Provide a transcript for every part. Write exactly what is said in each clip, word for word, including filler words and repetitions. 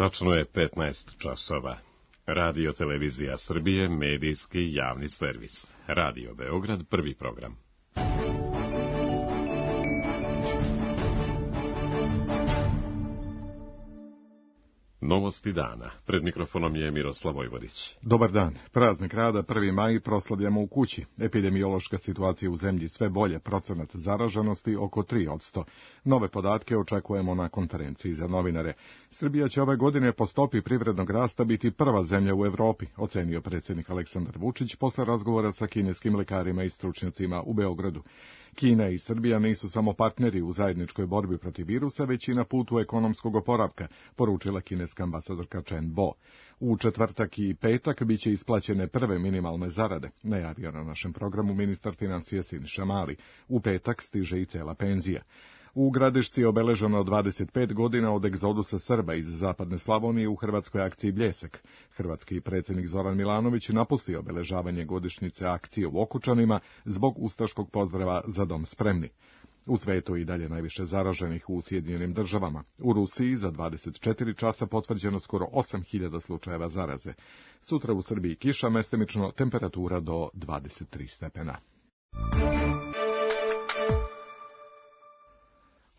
Tačno je petnaest časova. Radio Televizija Srbije, medijski javni servis. Radio Beograd, prvi program. Novosti dana. Pred mikrofonom je Miroslav Vojvodić. Dobar dan. Praznik rada prvi maj proslavljamo u kući. Epidemiološka situacija u zemlji sve bolje, procenat zaraženosti oko tri posto. Nove podatke očekujemo na konferenciji za novinare. Srbija će ove godine po stopi privrednog rasta biti prva zemlja u Evropi, ocenio predsjednik Aleksandar Vučić posle razgovora sa kineskim lekarima i stručnjacima u Beogradu. Kina i Srbija nisu samo partneri u zajedničkoj borbi protiv virusa, već i na putu ekonomskog oporavka, poručila kineska ambasadorka Chen Bo. U četvrtak i petak biće isplaćene prve minimalne zarade, najavio na našem programu ministar financija Siniša Mali. U petak stiže i cela penzija. U Gradišci je obeleženo dvadeset pet godina od egzodusa Srba iz zapadne Slavonije u hrvatskoj akciji Bljesak. Hrvatski predsjednik Zoran Milanović napustio obeležavanje godišnjice akcije u Okučanima zbog ustaškog pozdrava Za dom spremni. U svetu i dalje najviše zaraženih u Sjedinjenim državama. U Rusiji za dvadeset četiri časa potvrđeno skoro osam hiljada slučajeva zaraze. Sutra u Srbiji kiša, mestimično temperatura do dvadeset tri stepena.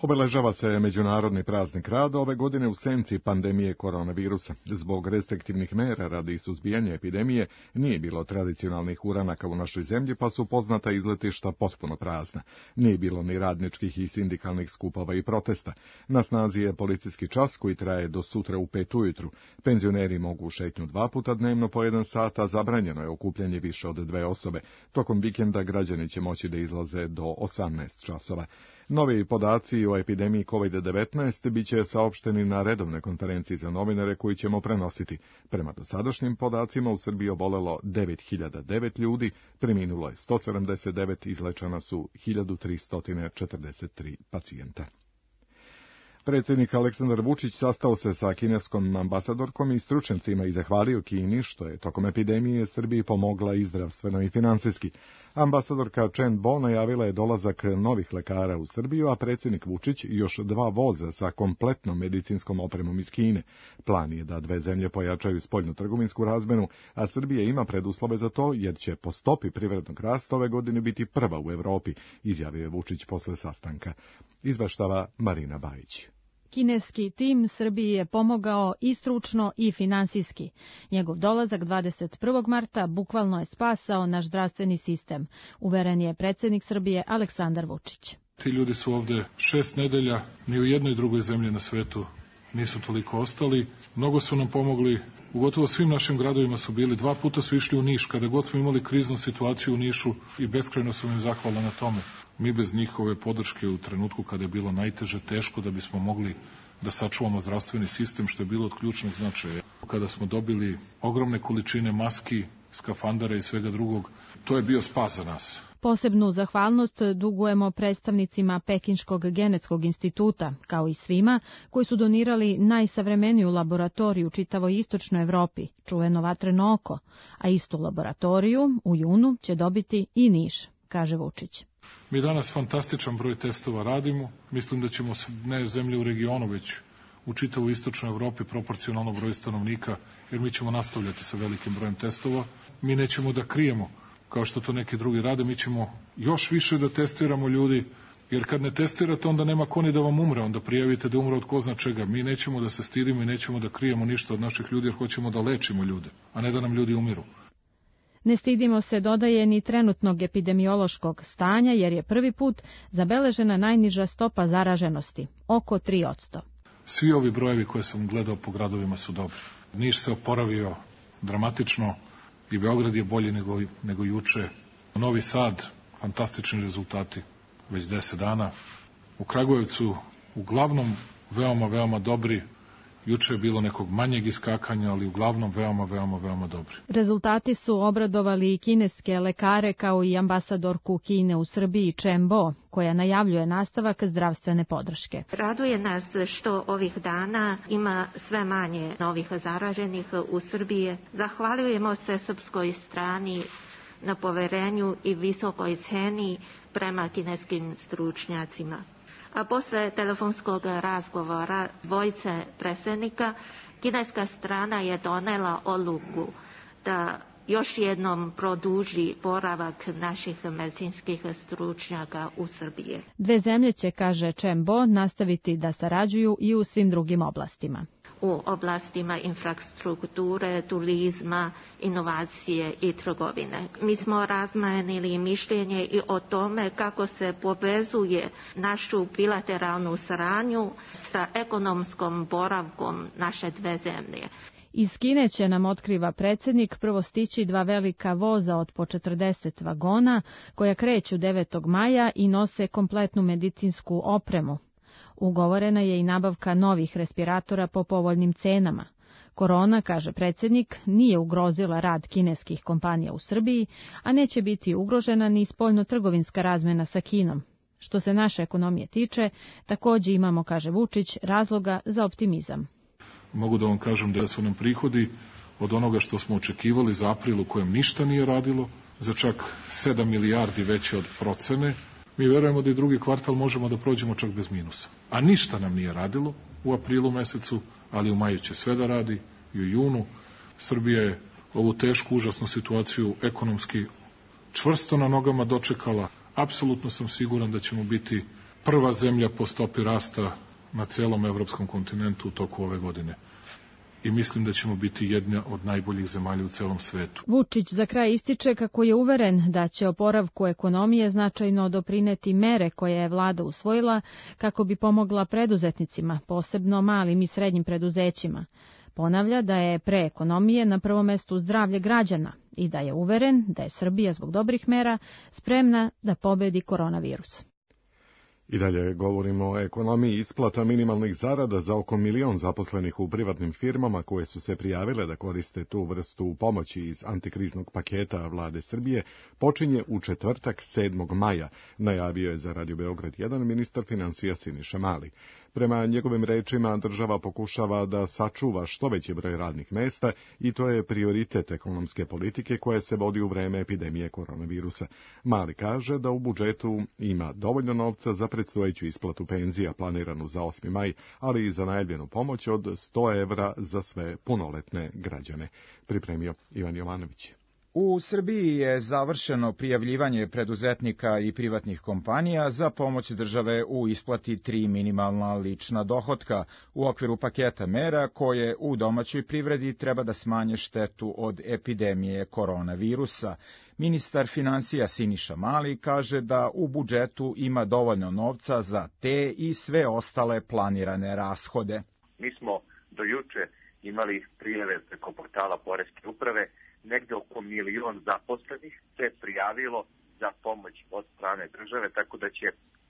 Obeležava se Međunarodni praznik rada ove godine u senci pandemije koronavirusa. Zbog restriktivnih mera radi suzbijanja epidemije nije bilo tradicionalnih uranaka u našoj zemlji, pa su poznata izletišta potpuno prazna. Nije bilo ni radničkih i sindikalnih skupova i protesta. Na snazi je policijski čas koji traje do sutra u pet ujutru. Penzioneri mogu šetnju dva puta dnevno po jedan sat, a zabranjeno je okupljanje više od dve osobe. Tokom vikenda građani će moći da izlaze do osamnaest časova. Novi podaci o epidemiji kovid devetnaest biće saopšteni na redovnoj konferenciji za novinare koji ćemo prenositi. Prema dosadašnjim podacima u Srbiji obolelo devet hiljada devet ljudi, preminulo je sto sedamdeset devet, izlečena su hiljadu tristo četrdeset tri pacijenta. Predsjednik Aleksandar Vučić sastao se sa kineskom ambasadorkom i stručnjacima i zahvalio Kini što je tokom epidemije Srbiji pomogla i zdravstveno i finansijski. Ambasadorka Chen Bo najavila je dolazak novih lekara u Srbiju, a predsjednik Vučić još dva voza sa kompletnom medicinskom opremom iz Kine. Plan je da dve zemlje pojačaju spoljno-trgovinsku razmenu, a Srbija ima preduslove za to jer će po stopi privrednog rasta ove godine biti prva u Evropi, izjavio je Vučić posle sastanka. Izveštava Marina Bajić. Kineski tim Srbiji je pomogao i stručno i finansijski. Njegov dolazak dvadeset prvog marta bukvalno je spasao naš zdravstveni sistem, uveren je predsjednik Srbije Aleksandar Vučić. Ti ljudi su ovde šest nedelja, ni u jednoj drugoj zemlji na svetu nisu toliko ostali. Mnogo su nam pomogli, u gotovo svim našim gradovima su bili, dva puta su išli u Niš, kada god smo imali kriznu situaciju u Nišu i beskrajno sam im zahvalan na tome. Mi bez njihove podrške u trenutku kada je bilo najteže, teško da bismo mogli da sačuvamo zdravstveni sistem, što je bilo od ključnog značaja. Kada smo dobili ogromne količine maski, skafandara i svega drugog, to je bio spas za nas. Posebnu zahvalnost dugujemo predstavnicima Pekinškog genetskog instituta, kao i svima koji su donirali najsavremeniju laboratoriju u čitavoj istočnoj Evropi, čuveno vatreno oko, a istu laboratoriju u junu će dobiti i Niš, kaže Vučić. Mi danas fantastičan broj testova radimo, mislim da ćemo ne zemlje u regionu, već u čitavoj istočnoj Evropi proporcionalno broju stanovnika, jer mi ćemo nastavljati sa velikim brojem testova. Mi nećemo da krijemo, kao što to neki drugi rade, mi ćemo još više da testiramo ljudi, jer kad ne testirate, onda nema ko ni da vam umre, onda prijavite da umre od ko zna čega. Mi nećemo da se stidimo i nećemo da krijemo ništa od naših ljudi, jer hoćemo da lečimo ljude, a ne da nam ljudi umiru. Ne stidimo se, dodaje, ni trenutnog epidemiološkog stanja, jer je prvi put zabeležena najniža stopa zaraženosti, oko tri posto. Svi ovi brojevi koje sam gledao po gradovima su dobri. Niš se oporavio dramatično i Beograd je bolji nego, nego juče. Novi Sad, fantastični rezultati, već deset dana. U Kragujevcu uglavnom veoma, veoma dobri. Juče je bilo nekog manjeg iskakanja, ali uglavnom veoma, veoma, veoma dobri. Rezultati su obradovali i kineske lekare, kao i ambasadorku Kine u Srbiji Chen Bo, koja najavljuje nastavak zdravstvene podrške. Raduje nas što ovih dana ima sve manje novih zaraženih u Srbiji. Zahvaljujemo se srpskoj strani na poverenju i visokoj ceni prema kineskim stručnjacima. A posle telefonskog razgovora dvojice predsjednika, kineska strana je donela odluku da još jednom produži boravak naših medicinskih stručnjaka u Srbiji. Dve zemlje će, kaže Chen Bo, nastaviti da sarađuju i u svim drugim oblastima. U oblastima infrastrukture, turizma, inovacije i trgovine. Mi smo razmenili mišljenje i o tome kako se povezuje našu bilateralnu saradnju sa ekonomskom boravkom naše dve zemlje. Iz Kine će, nam otkriva predsjednik, prvo stići dva velika voza od po četrdeset vagona, koja kreću devetog maja i nose kompletnu medicinsku opremu. Ugovorena je i nabavka novih respiratora po povoljnim cenama. Korona, kaže predsjednik, nije ugrozila rad kineskih kompanija u Srbiji, a neće biti ugrožena ni spoljno-trgovinska razmjena sa Kinom. Što se naše ekonomije tiče, također imamo, kaže Vučić, razloga za optimizam. Mogu da vam kažem da su nam prihodi od onoga što smo očekivali za april u kojem ništa nije radilo, za čak sedam milijardi veće od procene. Mi verujemo da i drugi kvartal možemo da prođemo čak bez minusa. A ništa nam nije radilo u aprilu mesecu, ali u maju će sve da radi i u junu. Srbija je ovu tešku, užasnu situaciju ekonomski čvrsto na nogama dočekala. Apsolutno sam siguran da ćemo biti prva zemlja po stopi rasta na celom evropskom kontinentu u toku ove godine. I mislim da ćemo biti jedna od najboljih zemalja u celom svetu. Vučić za kraj ističe kako je uveren da će oporavku ekonomije značajno doprineti mere koje je vlada usvojila kako bi pomogla preduzetnicima, posebno malim i srednjim preduzećima. Ponavlja da je pre ekonomije na prvom mestu zdravlje građana i da je uveren da je Srbija zbog dobrih mera spremna da pobedi koronavirus. I dalje govorimo o ekonomiji. Isplata minimalnih zarada za oko milion zaposlenih u privatnim firmama koje su se prijavile da koriste tu vrstu pomoći iz antikriznog paketa vlade Srbije počinje u četvrtak sedmog maja, najavio je za Radio Beograd jedan ministar financija Siniša Mali. Prema njegovim rečima, država pokušava da sačuva što veći broj radnih mesta i to je prioritet ekonomske politike koja se vodi u vreme epidemije koronavirusa. Mali kaže da u budžetu ima dovoljno novca za predstojeću isplatu penzija planiranu za osmi maj, ali i za najavljenu pomoć od sto evra za sve punoletne građane. Pripremio Ivan Jovanović. U Srbiji je završeno prijavljivanje preduzetnika i privatnih kompanija za pomoć države u isplati tri minimalna lična dohotka u okviru paketa mera koje u domaćoj privredi treba da smanje štetu od epidemije koronavirusa. Ministar financija Siniša Mali kaže da u budžetu ima dovoljno novca za te i sve ostale planirane rashode. Mi smo do juče imali prijave preko portala Poreske uprave. Negde oko milion zaposlenih se prijavilo za pomoć od strane države, tako da će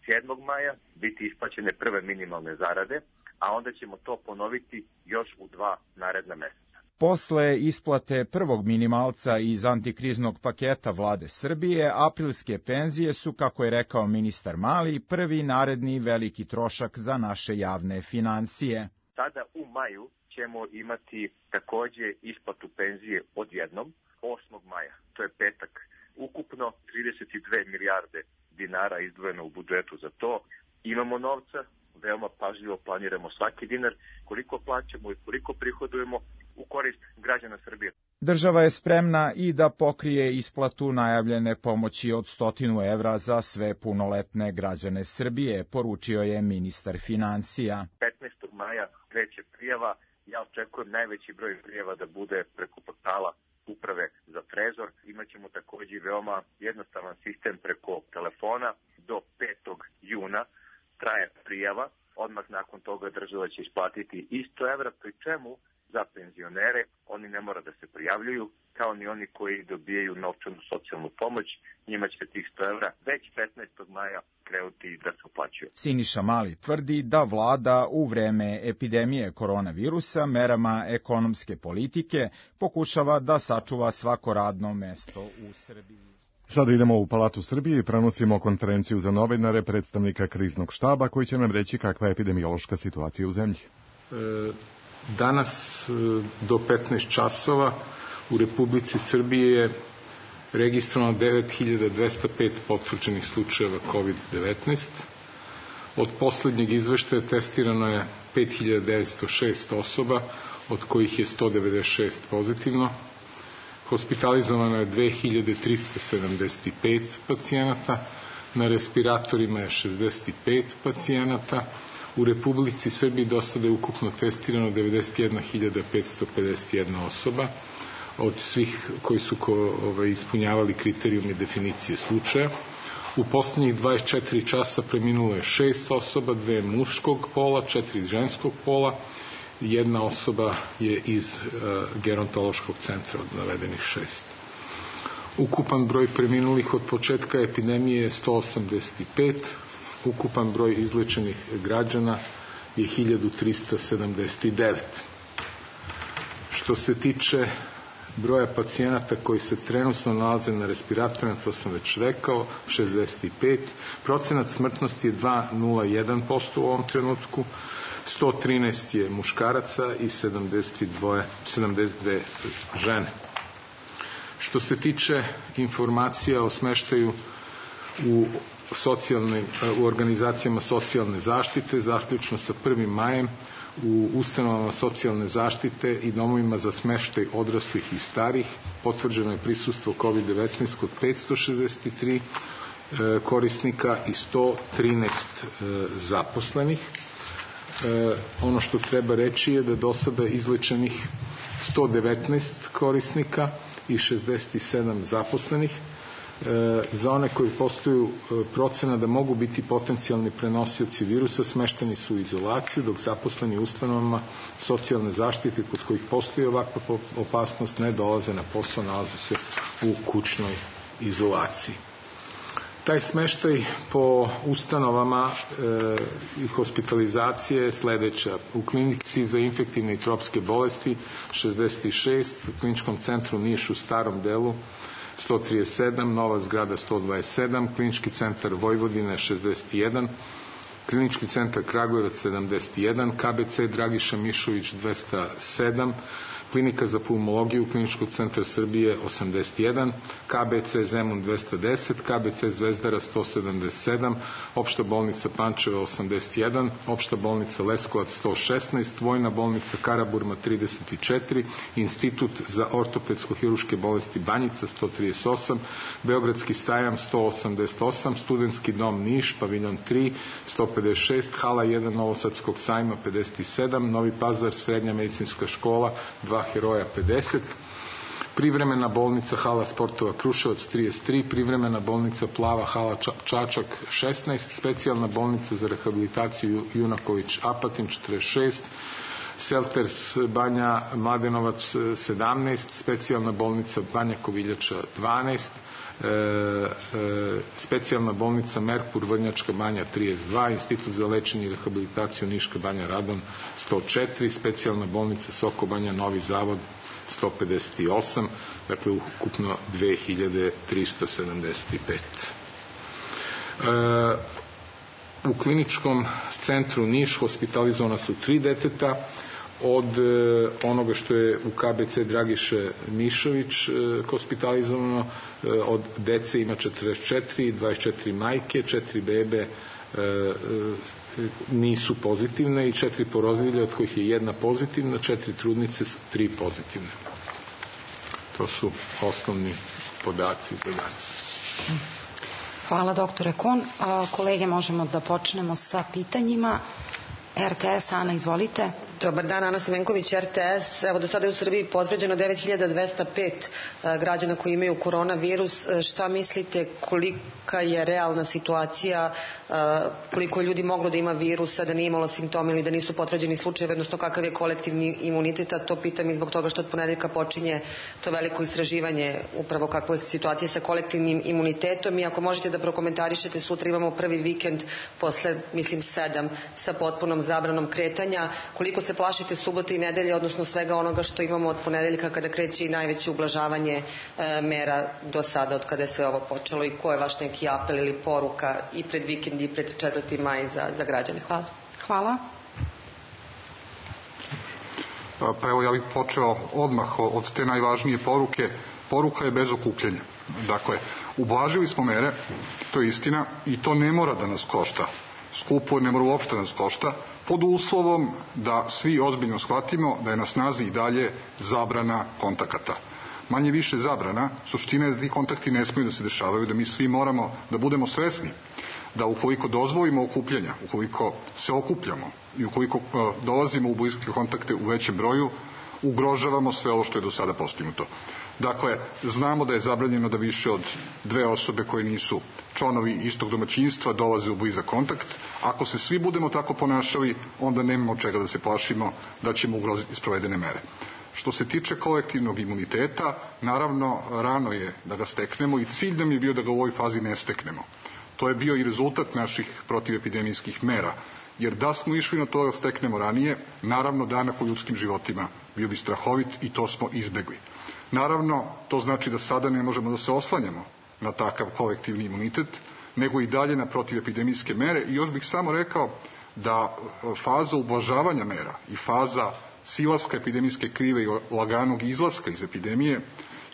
sedmog maja biti isplaćene prve minimalne zarade, a onda ćemo to ponoviti još u dva naredna meseca. Posle isplate prvog minimalca iz antikriznog paketa vlade Srbije, aprilske penzije su, kako je rekao ministar Mali, prvi naredni veliki trošak za naše javne financije. Sada u maju ćemo imati takođe isplatu penzije odjednom, osmog maja, to je petak. Ukupno trideset dve milijarde dinara izdvojeno u budžetu za to. Imamo novca, veoma pažljivo planiramo svaki dinar, koliko plaćamo i koliko prihodujemo u korist građana Srbije. Država je spremna i da pokrije isplatu najavljene pomoći od stotinu evra za sve punoletne građane Srbije, poručio je ministar financija. petnaestog maja kreće prijava. Ja očekujem najveći broj prijava da bude preko portala Uprave za trezor. Imaćemo takođe veoma jednostavan sistem preko telefona. Do petog juna traje prijava. Odmah nakon toga država će isplatiti i sto evra, pri čemu za penzionere oni ne mora da se prijavljuju, kao ni oni koji dobijaju novčanu socijalnu pomoć. Njima će tih sto evra već petnaestog maja krenuti da se uplaćuje. Siniša Mali tvrdi da vlada u vreme epidemije koronavirusa merama ekonomske politike pokušava da sačuva svako radno mesto u Srbiji. Sada idemo u Palatu Srbije i prenosimo konferenciju za novinare predstavnika kriznog štaba koji će nam reći kakva je epidemiološka situacija u zemlji. E, danas do petnaest časova u Republici Srbije je registrovano devet hiljada dvesta pet potvrđenih slučajeva kovid devetnaest, Od poslednjeg izveštaja testirano je pet hiljada devetsto šest osoba, od kojih je sto devedeset šest pozitivno. Hospitalizovano je dve hiljade trista sedamdeset pet pacijenata, na respiratorima je šezdeset pet pacijenata. U Republici Srbiji do sada je ukupno testirano devedeset jedna hiljada petsto pedeset jedna osoba, od svih koji su ko, ovaj, ispunjavali kriterijum i definicije slučaja. U poslednjih dvadeset četiri časa preminulo je šest osoba, dve muškog pola, četiri ženskog pola, jedna osoba je iz uh, gerontološkog centra od navedenih šest. Ukupan broj preminulih od početka epidemije je sto osamdeset pet, ukupan broj izlečenih građana je hiljadu trista sedamdeset devet. Što se tiče broja pacijenata koji se trenutno nalaze na respiratorima, to sam već rekao, šezdeset pet. Procenat smrtnosti je dva zarez nula jedan posto u ovom trenutku, sto trinaest je muškaraca i sedamdeset dve žene. Što se tiče informacija o smeštaju u, socijalne, u organizacijama socijalne zaštite, zaključno sa prvim majem, u ustanovama socijalne zaštite i domovima za smeštaj odraslih i starih potvrđeno je prisustvo kovid devetnaest kod petsto šezdeset tri e, korisnika i sto trinaest e, zaposlenih. E, ono što treba reći je da do sada izlečenih sto devetnaest korisnika i šezdeset sedam zaposlenih. E, za one koji postoju e, procena da mogu biti potencijalni prenosioci virusa, smešteni su u izolaciju, dok zaposleni u ustanovama socijalne zaštite kod kojih postoji ovakva opasnost ne dolaze na posao, nalaze se u kućnoj izolaciji. Taj smeštaj po ustanovama e, i hospitalizacije je sledeća. U klinici za infektivne i tropske bolesti šezdeset šest, u kliničkom centru Niš u starom delu sto trideset sedam, Nova zgrada sto dvadeset sedam, klinički centar Vojvodine šezdeset jedan, klinički centar Kragujevac sedamdeset jedan, K B C Dragiša Mišović dvesta sedam, klinika za pulmologiju kliničkog centra Srbije osamdeset jedan, K B C Zemun dvesta deset, K B C Zvezdara sto sedamdeset sedam, opšta bolnica Pančevo osamdeset jedan, opšta bolnica Leskovac sto šesnaest, vojna bolnica Karaburma trideset četiri, institut za ortopedsko-hiruške bolesti Banjica sto trideset osam, Beogradski sajam sto osamdeset osam, studentski dom Niš, paviljon tri sto pedeset šest, hala jedan Novosadskog sajma pedeset sedam, Novi Pazar srednja medicinska škola dva heroja pedeset, privremena bolnica hala sportova Kruševac trideset tri, privremena bolnica Plava hala Čačak šesnaest, specijalna bolnica za rehabilitaciju Junaković Apatin četrdeset šest, Selters Banja Mladenovac sedamnaest, specijalna bolnica Banja Koviljača dvanaest, E, e, specijalna bolnica Merkur Vrnjačka Banja trideset dva, institut za lečenje i rehabilitaciju Niška Banja Radan sto četiri, specijalna bolnica Soko Banja Novi Zavod sto pedeset osam, dakle ukupno dve hiljade trista sedamdeset pet. E, u kliničkom centru Niš hospitalizovana su tri deteta, od e, onoga što je u K B C Dragiše Mišović e, hospitalizovano, e, od dece ima četrdeset četiri, dvadeset četiri majke, četiri bebe e, e, nisu pozitivne i četiri porodilje, od kojih je jedna pozitivna, četiri trudnice su tri pozitivne. To su osnovni podaci za danas. Hvala doktore Kon. Kolege, možemo da počnemo sa pitanjima. R T S, Ana, izvolite. Dobar dan, Ana Semenković, R T S. Evo, do sada je u Srbiji potvrđeno devet hiljada dvesta pet građana koji imaju koronavirus. Šta mislite, kolika je realna situacija, koliko je ljudi moglo da ima virusa, da nije imalo simptoma ili da nisu potvrđeni slučajevi, odnosno kakav je kolektivni imunitet? To pitam i zbog toga što od ponedeljka počinje to veliko istraživanje, upravo kakva je situacija sa kolektivnim imunitetom. I ako možete da prokomentarišete, sutra imamo prvi vikend posle, mislim, sedam, sa potpunom zabranom kretanja. Koliko se plašite subote i nedelje, odnosno svega onoga što imamo od ponedeljka kada kreće i najveće ublažavanje e, mera do sada, od kada je sve ovo počelo, i ko je vaš neki apel ili poruka i pred vikend i pred četvrti maj za, za građane? Hvala. Hvala. Pa evo, ja bih počeo odmah od te najvažnije poruke. Poruka je bez okupljanja. Dakle, ublažili smo mere, to je istina, i to ne mora da nas košta skupo, ne mora uopšte nas košta, pod uslovom da svi ozbiljno shvatimo da je na snazi i dalje zabrana kontakata. Manje više zabrana, suština je da ti kontakti ne smiju da se dešavaju, da mi svi moramo da budemo svesni da ukoliko dozvolimo okupljanja, ukoliko se okupljamo i ukoliko dolazimo u bliske kontakte u većem broju, ugrožavamo sve ovo što je do sada postignuto. Dakle, znamo da je zabranjeno da više od dve osobe koje nisu članovi istog domaćinstva dolaze u blizak kontakt. Ako se svi budemo tako ponašali, onda nemamo čega da se plašimo da ćemo ugroziti sprovedene mere. Što se tiče kolektivnog imuniteta, naravno, rano je da ga steknemo i cilj nam je bio da ga u ovoj fazi ne steknemo. To je bio i rezultat naših protivepidemijskih mera, jer da smo išli na to da steknemo ranije, naravno danak u ljudskim životima bio bi strahovit i to smo izbegli. Naravno, to znači da sada ne možemo da se oslanjamo na takav kolektivni imunitet, nego i dalje na protivepidemijske mere i još bih samo rekao da faza ublažavanja mera i faza silaska epidemijske krive i laganog izlaska iz epidemije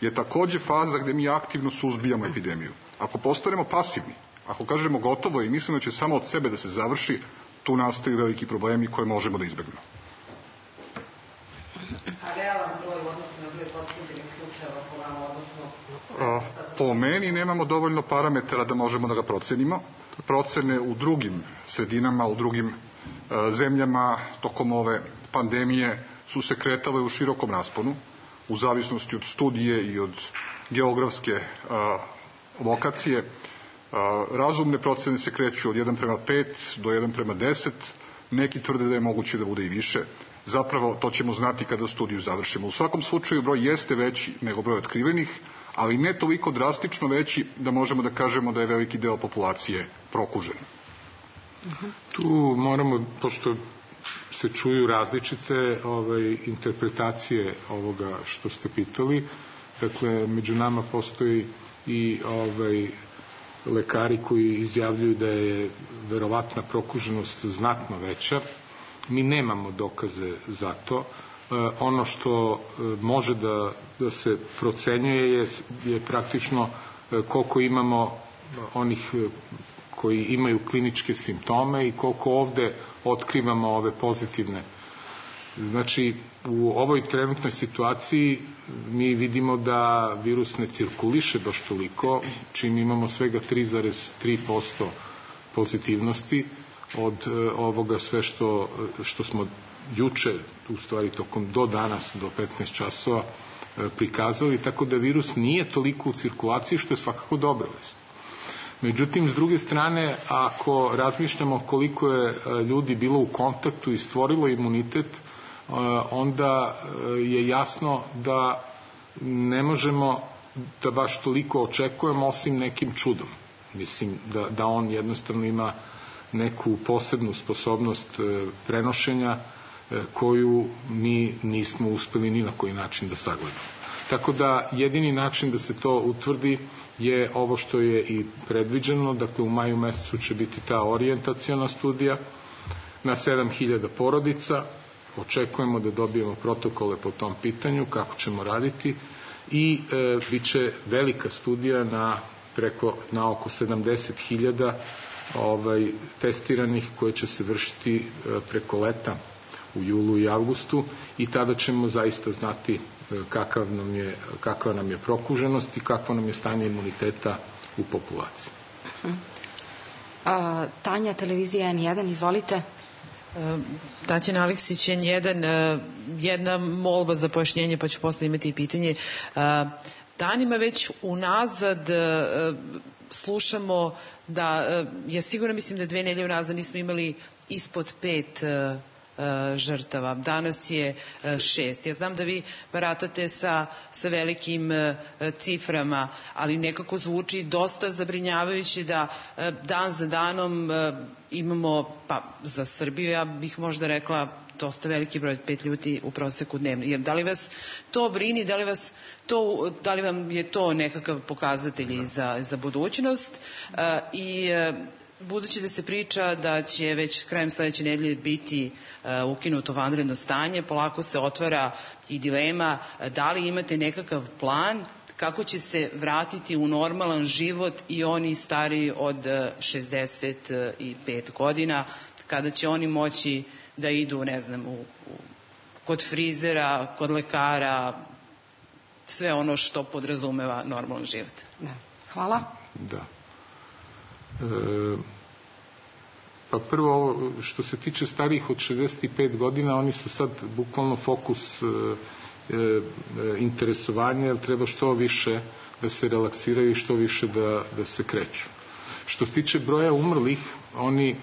je takođe faza gde mi aktivno suzbijamo epidemiju. Ako postanemo pasivni, ako kažemo gotovo i mislimo da će samo od sebe da se završi, tu nastaju veliki problemi koje možemo da izbegnemo. A realan broj odnosno na broj potvrđenih slučajeva po vama, odnosno... Po meni nemamo dovoljno parametara da možemo da ga procenimo. Procene u drugim sredinama, u drugim zemljama tokom ove pandemije su se kretale u širokom rasponu, u zavisnosti od studije i od geografske lokacije. Razumne procene se kreću od jedan prema pet do jedan prema deset, neki tvrde da je moguće da bude i više. Zapravo to ćemo znati kada studiju završimo. U svakom slučaju broj jeste veći nego broj otkrivenih, ali ne toliko drastično veći da možemo da kažemo da je veliki deo populacije prokužen. Tu moramo, pošto se čuju različite ovaj, interpretacije ovoga što ste pitali, dakle, među nama postoji i ovaj, lekari koji izjavljuju da je verovatna prokuženost znatno veća. Mi nemamo dokaze za to. E, ono što može da, da se procenjuje je, je praktično koliko imamo onih koji imaju kliničke simptome i koliko ovde otkrivamo ove pozitivne. Znači, u ovoj trenutnoj situaciji mi vidimo da virus ne cirkuliše baš toliko, čim imamo svega tri zarez tri posto pozitivnosti od ovoga sve što, što smo juče, u stvari tokom do danas, do petnaest časova, prikazali, tako da virus nije toliko u cirkulaciji, što je svakako dobra vest. Međutim, s druge strane, ako razmišljamo koliko je ljudi bilo u kontaktu i stvorilo imunitet, onda je jasno da ne možemo da baš toliko očekujemo osim nekim čudom. Mislim da, da on jednostavno ima neku posebnu sposobnost prenošenja koju mi nismo uspeli ni na koji način da sagledamo. Tako da jedini način da se to utvrdi je ovo što je i predviđeno, dakle u maju mesecu će biti ta orijentaciona studija na sedam hiljada porodica, očekujemo da dobijemo protokole po tom pitanju, kako ćemo raditi i e, bit će velika studija na, preko, na oko sedamdeset hiljada ovaj, testiranih koje će se vršiti e, preko leta u julu i avgustu i tada ćemo zaista znati kakav nam je, kakva nam je prokuženost i kakvo nam je stanje imuniteta u populaciji. A, Tanja, televizija en jedan, izvolite. Tatjana Aleksić, en jedan, jedna molba za pojašnjenje, pa ću posle imati i pitanje. Danima već unazad slušamo da je sigurno, mislim da dve nedelje unazad nismo imali ispod pet žrtava. Danas je šest. Ja znam da vi baratate sa, sa velikim ciframa, ali nekako zvuči dosta zabrinjavajući da dan za danom imamo, pa za Srbiju ja bih možda rekla dosta veliki broj, pet ljudi u proseku dnevno. Jer da li vas to brini, da li, vas to, da li vam je to nekakav pokazatelj za, za budućnost i budući da se priča da će već krajem sledeće nedelje biti uh, ukinuto vanredno stanje, polako se otvara i dilema da li imate nekakav plan kako će se vratiti u normalan život i oni stariji od šezdeset pet godina, kada će oni moći da idu, ne znam, u, u, kod frizera, kod lekara, sve ono što podrazumeva normalan život. Da. Hvala. Da. E, pa prvo, ovo, što se tiče starijih od šezdeset pet godina, oni su sad bukvalno fokus e, e, interesovanja, jer treba što više da se relaksiraju i što više da, da se kreću. Što se tiče broja umrlih, oni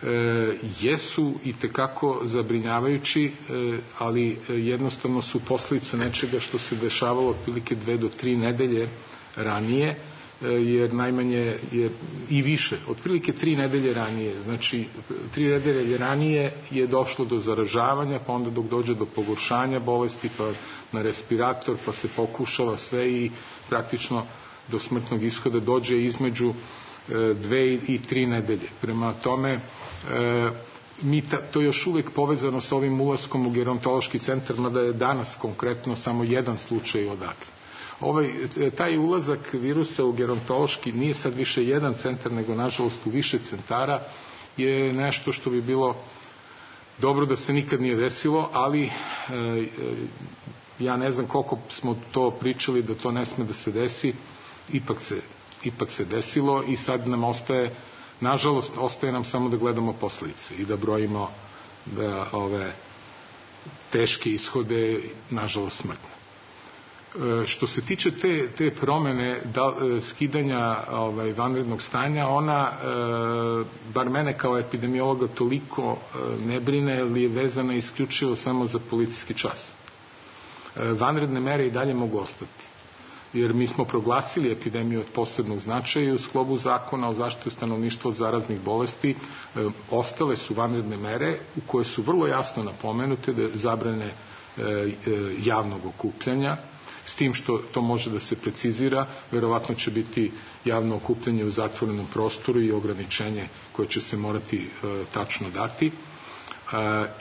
E, jesu i tekako zabrinjavajući, e, ali jednostavno su posljedica nečega što se dešavalo otprilike dve do tri nedelje ranije, e, jer najmanje je i više, otprilike tri nedelje ranije, znači tri nedelje ranije je došlo do zaražavanja, pa onda dok dođe do pogoršanja bolesti, pa na respirator, pa se pokušava sve i praktično do smrtnog ishoda dođe između dve i tri nedelje. Prema tome, e, mi ta, to je još uvijek povezano sa ovim ulaskom u gerontološki centar, mada je danas konkretno samo jedan slučaj odatle. Ovaj, taj ulazak virusa u gerontološki nije sad više jedan centar, nego nažalost u više centara, je nešto što bi bilo dobro da se nikad nije desilo, ali e, ja ne znam koliko smo to pričali da to ne sme da se desi, ipak se ipak se desilo i sad nam ostaje, nažalost, ostaje nam samo da gledamo posljedice i da brojimo da ove teške ishode, nažalost, smrtne. E, što se tiče te, te promene da, skidanja ovaj, vanrednog stanja, ona, e, bar mene kao epidemiologa toliko e, ne brine, ali je vezana isključivo samo za policijski čas. E, vanredne mere i dalje mogu ostati, jer mi smo proglasili epidemiju od posebnog značaja i u sklopu zakona o zaštiti stanovništva od zaraznih bolesti e, ostale su vanredne mere u koje su vrlo jasno napomenute da zabrane e, e, javnog okupljanja, s tim što to može da se precizira, verovatno će biti javno okupljanje u zatvorenom prostoru i ograničenje koje će se morati e, tačno dati. E,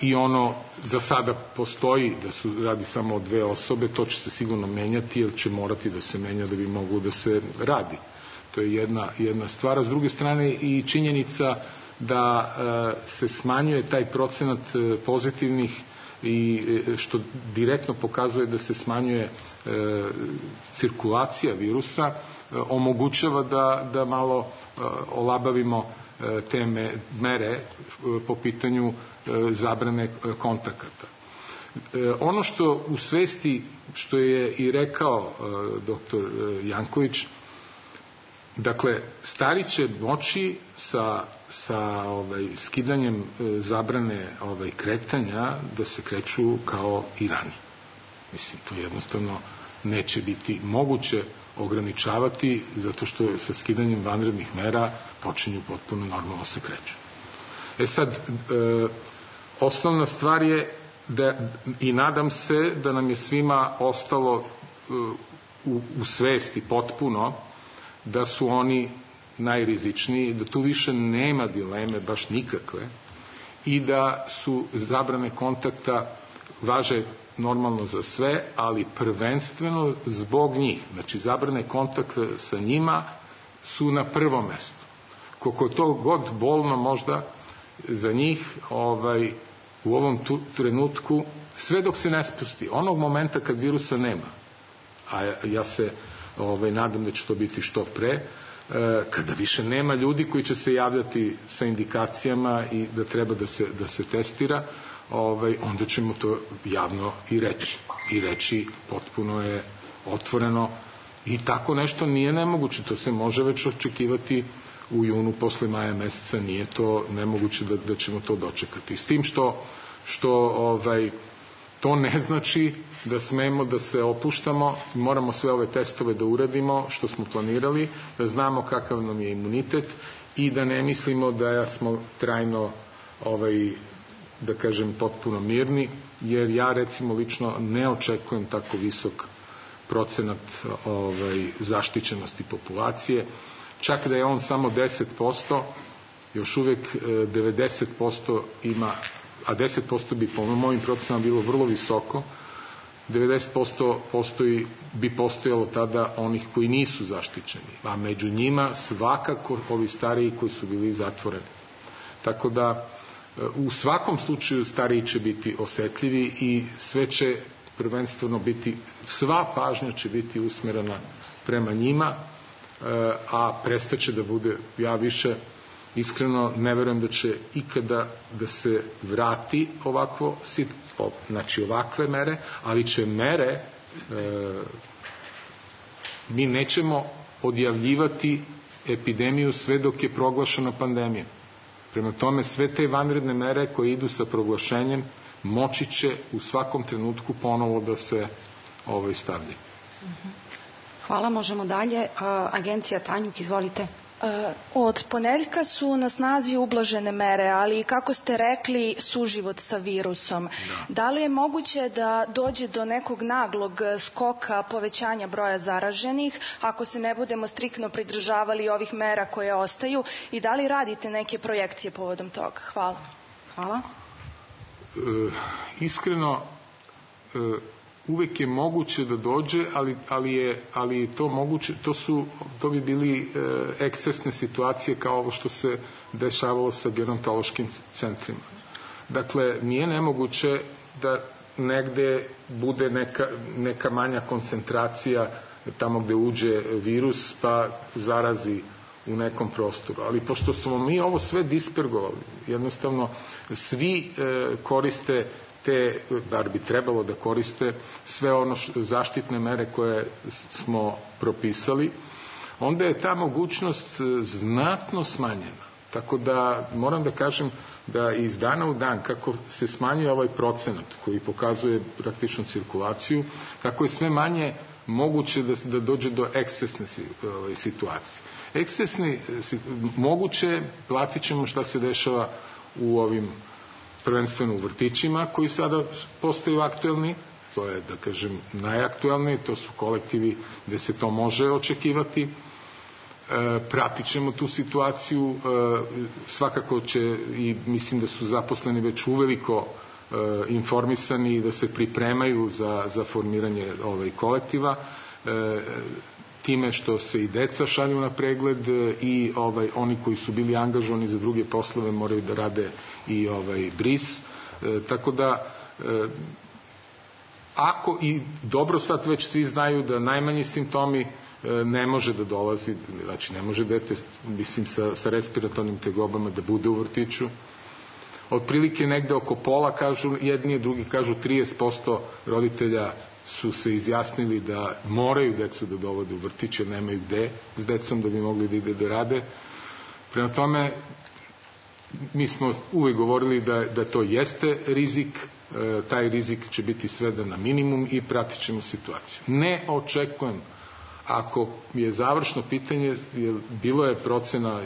i ono za sada postoji da su radi samo o dve osobe, to će se sigurno menjati jer će morati da se menja da bi moglo da se radi. To je jedna, jedna stvar. A s druge strane i činjenica da e, se smanjuje taj procenat e, pozitivnih i e, što direktno pokazuje da se smanjuje e, cirkulacija virusa, e, omogućava da, da malo e, olabavimo te mere po pitanju zabrane kontakata. Ono što u svesti, što je i rekao doktor Janković, dakle, stari će moći sa, sa ovaj, skidanjem zabrane ovaj, kretanja da se kreću kao i ranije. Mislim, to jednostavno neće biti moguće ograničavati, zato što sa skidanjem vanrednih mera počinju potpuno normalno se kreću. E sad, e, osnovna stvar je da, i nadam se da nam je svima ostalo e, u, u svesti potpuno da su oni najrizičniji, da tu više nema dileme baš nikakve i da su zabrane kontakta važe normalno za sve, ali prvenstveno zbog njih. Znači, zabrane kontakta sa njima su na prvom mestu. Koliko to god bolno možda za njih ovaj, u ovom tu, trenutku, sve dok se ne spusti, onog momenta kad virusa nema, a ja se ovaj, nadam da će to biti što pre, kada više nema ljudi koji će se javljati sa indikacijama i da treba da se, da se testira, ovaj, onda ćemo to javno i reći. I reći potpuno je otvoreno i tako nešto nije nemoguće. To se može već očekivati u junu posle maja meseca. Nije to nemoguće da, da ćemo to dočekati. S tim što, što ovaj, to ne znači da smemo da se opuštamo, moramo sve ove testove da uradimo što smo planirali, da znamo kakav nam je imunitet i da ne mislimo da smo trajno ovaj, da kažem potpuno mirni, jer ja recimo lično ne očekujem tako visok procenat ovaj, zaštićenosti populacije, čak da je on samo deset posto, još uvijek devedeset posto ima, a deset posto bi po mojim procenama bilo vrlo visoko, devedeset posto postoji, bi postojalo tada onih koji nisu zaštićeni, a među njima svakako ovi stariji koji su bili zatvoreni. Tako da u svakom slučaju stariji će biti osetljivi i sve će prvenstveno biti, sva pažnja će biti usmerena prema njima, a prestaće da bude, ja više iskreno ne verujem da će ikada da se vrati ovakvo, znači ovakve mere, ali će mere, e, mi nećemo odjavljivati epidemiju sve dok je proglašena pandemija. Prema tome, sve te vanredne mere koje idu sa proglašenjem moći će u svakom trenutku ponovo da se ovaj, stavlja. Hvala, možemo dalje. Agencija Tanjuk, izvolite. Od ponedeljka su na snazi ublažene mere, ali kako ste rekli, suživot sa virusom. Da. Da li je moguće da dođe do nekog naglog skoka povećanja broja zaraženih ako se ne budemo striktno pridržavali ovih mera koje ostaju i da li radite neke projekcije povodom toga? Hvala. Hvala. E, iskreno, e, uvek je moguće da dođe, ali, ali je ali to moguće, to su to bi bili e, ekscesne situacije kao ovo što se dešavalo sa gerontološkim centrima. Dakle, nije nemoguće da negde bude neka, neka manja koncentracija tamo gde uđe virus pa zarazi u nekom prostoru. Ali pošto smo mi ovo sve dispergovali, jednostavno svi e, koriste te, bar bi trebalo da koriste sve ono što, zaštitne mere koje smo propisali, onda je ta mogućnost znatno smanjena. Tako da moram da kažem da iz dana u dan kako se smanjuje ovaj procenat koji pokazuje praktično cirkulaciju, kako je sve manje moguće da, da dođe do ekscesne situacije. Ekscesne moguće, platit ćemo šta se dešava u ovim prvenstveno u vrtićima koji sada postaju aktuelni, to je da kažem najaktuelniji, to su kolektivi gde se to može očekivati. E, pratit ćemo tu situaciju, e, svakako će i mislim da su zaposleni već uveliko e, informisani i da se pripremaju za, za formiranje ovaj kolektiva. E, time što se i deca šalju na pregled i ovaj oni koji su bili angažovani za druge poslove moraju da rade i ovaj bris. E, tako da e, ako i dobro sad već svi znaju da najmanji simptomi e, ne može da dolazi, znači ne može dete mislim sa, sa respiratornim tegobama da bude u vrtiću. Otprilike negde oko pola kažu jedni, drugi kažu trideset posto roditelja su se izjasnili da moraju decu da dovode u vrtić jer nemaju gde s decom da bi mogli da ide da rade. Prema tome, mi smo uvek govorili da, da to jeste rizik, e, taj rizik će biti sveden na minimum i pratit ćemo situaciju. Ne očekujem, ako je završno pitanje, jer bilo je procena